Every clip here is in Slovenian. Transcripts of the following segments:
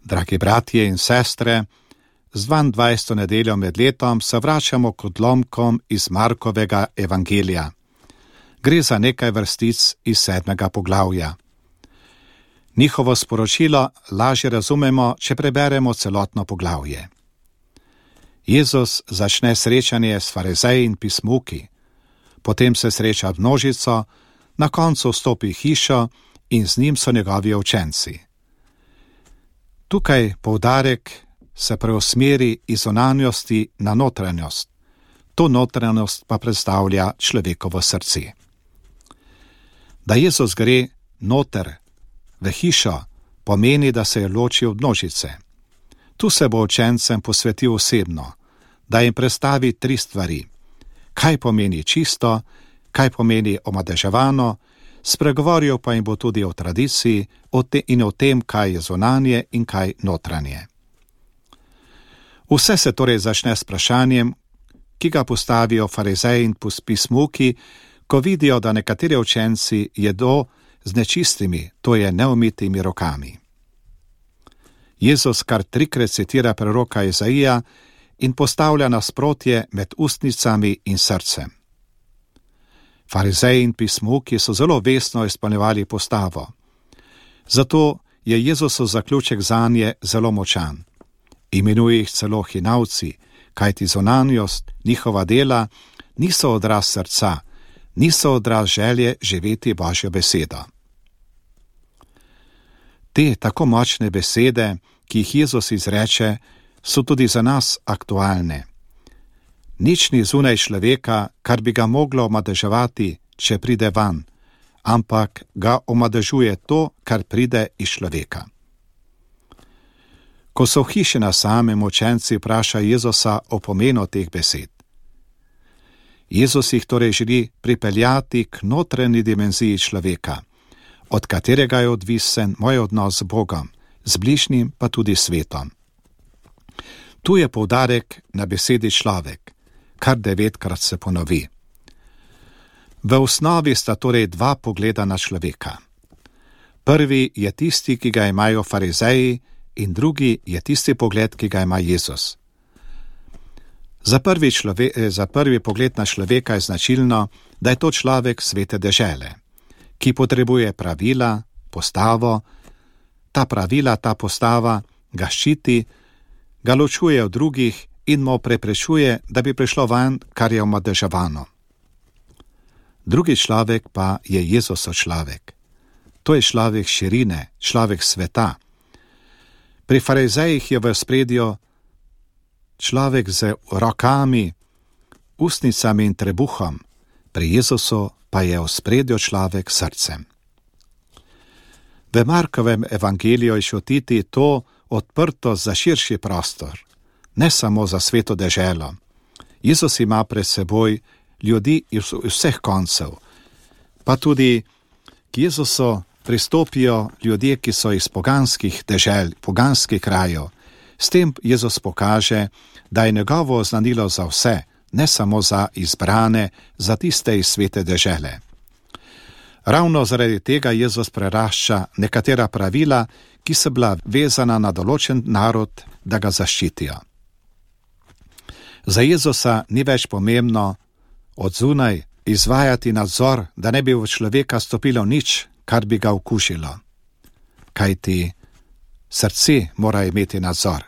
Dragi bratje in sestre, z 22. nedeljo med letom se vračamo k odlomkom iz Markovega evangelija. Gre za nekaj vrstic iz 7. poglavja. Njihovo sporočilo lažje razumemo, če preberemo celotno poglavje. Jezus začne srečanje s farizeji in pismuki, potem se sreča množico, na koncu vstopi v hišo in z njim so njegovi učenci. Tukaj poudarek se preusmeri iz zunanjosti na notranjost. To notranjost pa predstavlja človekovo srce. Da Jezus gre noter v hišo, pomeni, da se je ločil od množice. Tu se bo učencem posvetil osebno, da jim predstavi 3 stvari. Kaj pomeni čisto, kaj pomeni omadeževano, spregovoril pa jim bo tudi o tradiciji in o tem, kaj je zunanje in kaj notranje. Vse se torej začne s vprašanjem, ki ga postavijo farizeji in pismuki, ko vidijo, da nekateri učenci jedo z nečistimi, to je neumitimi rokami. Jezus kar 3-krat citira preroka Izaija in postavlja nasprotje med ustnicami in srcem. Farizeji in pismuki so zelo vestno izpolnjevali postavo. Zato je Jezusov zaključek zanje zelo močan. Imenuje jih celo hinavci, kajti zunanjost, njihova dela, niso odraz srca, niso odraz želje živeti Božjo besedo. Te tako močne besede, ki jih Jezus izreče, so tudi za nas aktualne. Nič ni zunaj človeka, kar bi ga moglo omadeževati, če pride van, ampak ga omadežuje to, kar pride iz človeka. Ko so v hiši na samem, učenci vprašajo Jezusa o pomenu teh besed. Jezus jih torej želi pripeljati k notranji dimenziji človeka, od katerega je odvisen moj odnos z Bogom, z bližnjim pa tudi svetom. Tu je poudarek na besedi človek, kar 9-krat se ponovi. V osnovi sta torej 2 pogleda na človeka. Prvi je tisti, ki ga imajo farizeji, in drugi je tisti pogled, ki ga ima Jezus. Za prvi pogled na človeka je značilno, da je to človek svete dežele, ki potrebuje pravila, postavo, ta pravila, ta postava ga ščiti, ga ločuje od drugih in mu preprečuje, da bi prišlo van, kar je omadeževano. Drugi človek pa je Jezusov človek. To je človek širine, človek sveta. Pri farizejih je v ospredju človek z rokami, ustnicami in trebuhom, pri Jezusu pa je v ospredju človek s srcem. V Markovem evangeliju je čutiti to odprtost za širši prostor, ne samo za sveto deželo. Jezus ima pred seboj ljudi iz vseh koncev, pa tudi k Jezusu pristopijo ljudje, ki so iz poganskih dežel, poganskih krajev. S tem Jezus pokaže, da je njegovo oznanilo za vse, ne samo za izbrane, za tiste iz svete dežele. Ravno zaradi tega Jezus prerašča nekatera pravila, ki so bila vezana na določen narod, da ga zaščitijo. Za Jezusa ni več pomembno od zunaj izvajati nadzor, da ne bi v človeka stopilo nič, kar bi ga okužilo. Kajti srce mora imeti nadzor.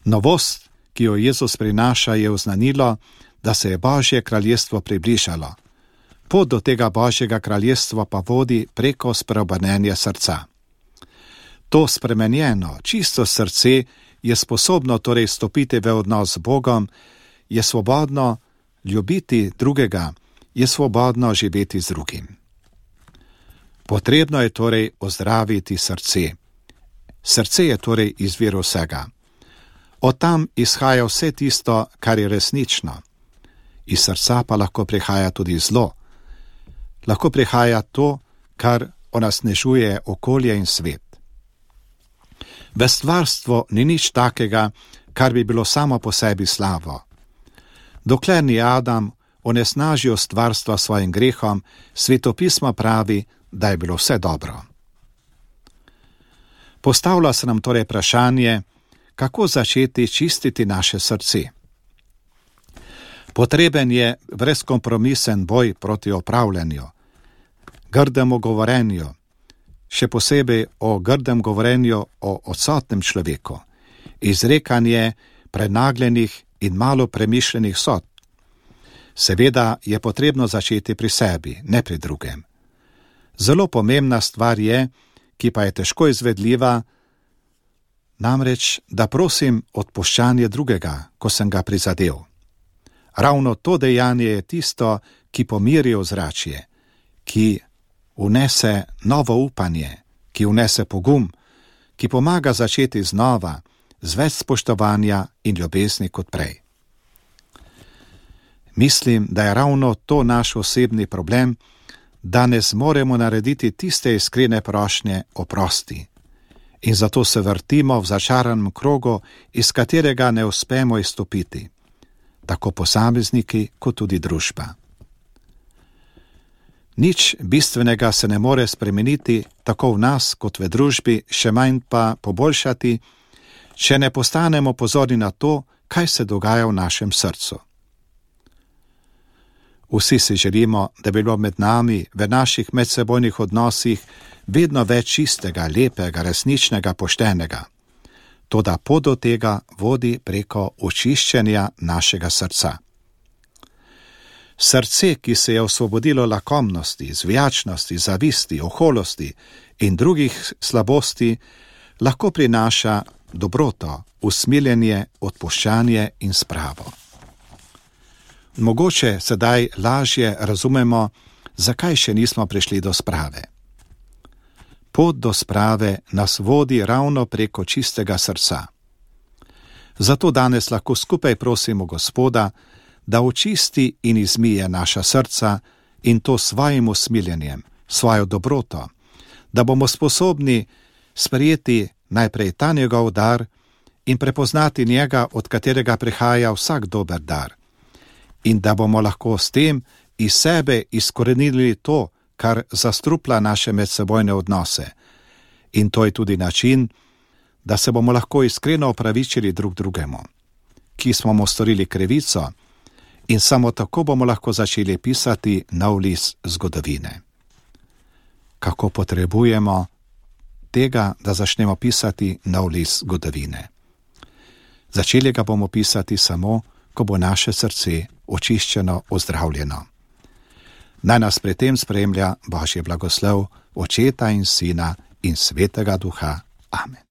Novost, ki jo Jezus prinaša, je oznanilo, da se je Božje kraljestvo približalo. Pot do tega Božjega kraljestva pa vodi preko spreobrnenja srca. To spremenjeno, čisto srce je sposobno torej stopiti v odnos z Bogom, je svobodno ljubiti drugega, je svobodno živeti z drugim. Potrebno je torej ozdraviti srce. Srce je torej izvir vsega. Od tam izhaja vse tisto, kar je resnično. Iz srca pa lahko prihaja tudi zlo. Lahko prihaja to, kar onesnažuje okolje in svet. V stvarstvu ni nič takega, kar bi bilo samo po sebi slavo. Dokler ni Adam onesnažil stvarstva svojim grehom, Svetopismo pravi, da je bilo vse dobro. Postavlja se nam torej vprašanje, kako začeti čistiti naše srce. Potreben je brezkompromisen boj proti opravljanju, grdemu govorenju, še posebej o grdem govorenju o odsotnem človeku, izrekanje prenagljenih in malo premišljenih sodb. Seveda je potrebno začeti pri sebi, ne pri drugem. Zelo pomembna stvar je, ki pa je težko izvedljiva, namreč, da prosim odpuščanje drugega, ko sem ga prizadel. Ravno to dejanje je tisto, ki pomiri ozračje, ki vnese novo upanje, ki vnese pogum, ki pomaga začeti znova, z več spoštovanja in ljubezni kot prej. Mislim, da je ravno to naš osebni problem, da ne zmoremo narediti tiste iskrene prošnje oprosti. In zato se vrtimo v začaranem krogu, iz katerega ne uspemo izstopiti, tako posamezniki kot tudi družba. Nič bistvenega se ne more spremeniti tako v nas kot v družbi, še manj pa poboljšati, če ne postanemo pozorni na to, kaj se dogaja v našem srcu. Vsi si želimo, da bi bilo med nami v naših medsebojnih odnosih vedno več čistega, lepega, resničnega, poštenega. Toda pot do tega vodi preko očiščenja našega srca. Srce, ki se je osvobodilo lakomnosti, zvijačnosti, zavisti, oholosti in drugih slabosti, lahko prinaša dobroto, usmiljenje, odpuščanje in spravo. Mogoče sedaj lažje razumemo, zakaj še nismo prišli do sprave. Pot do sprave nas vodi ravno preko čistega srca. Zato danes lahko skupaj prosimo Gospoda, da očisti in izmije naša srca in to svojim usmiljenjem, svojo dobroto, da bomo sposobni sprejeti najprej ta njegov dar in prepoznati njega, od katerega prihaja vsak dober dar. In da bomo lahko s tem iz sebe izkorenili to, kar zastrupla naše medsebojne odnose. In to je tudi način, da se bomo lahko iskreno opravičili drug drugemu, ki smo mu storili krivico, in samo tako bomo lahko začeli pisati nov list zgodovine. Kako potrebujemo tega, da začnemo pisati nov list zgodovine? Začeli ga bomo pisati samo, ko bo naše srce očiščeno, ozdravljeno. Naj nas pri tem spremlja Božji blagoslov, Očeta in Sina in Svetega Duha. Amen.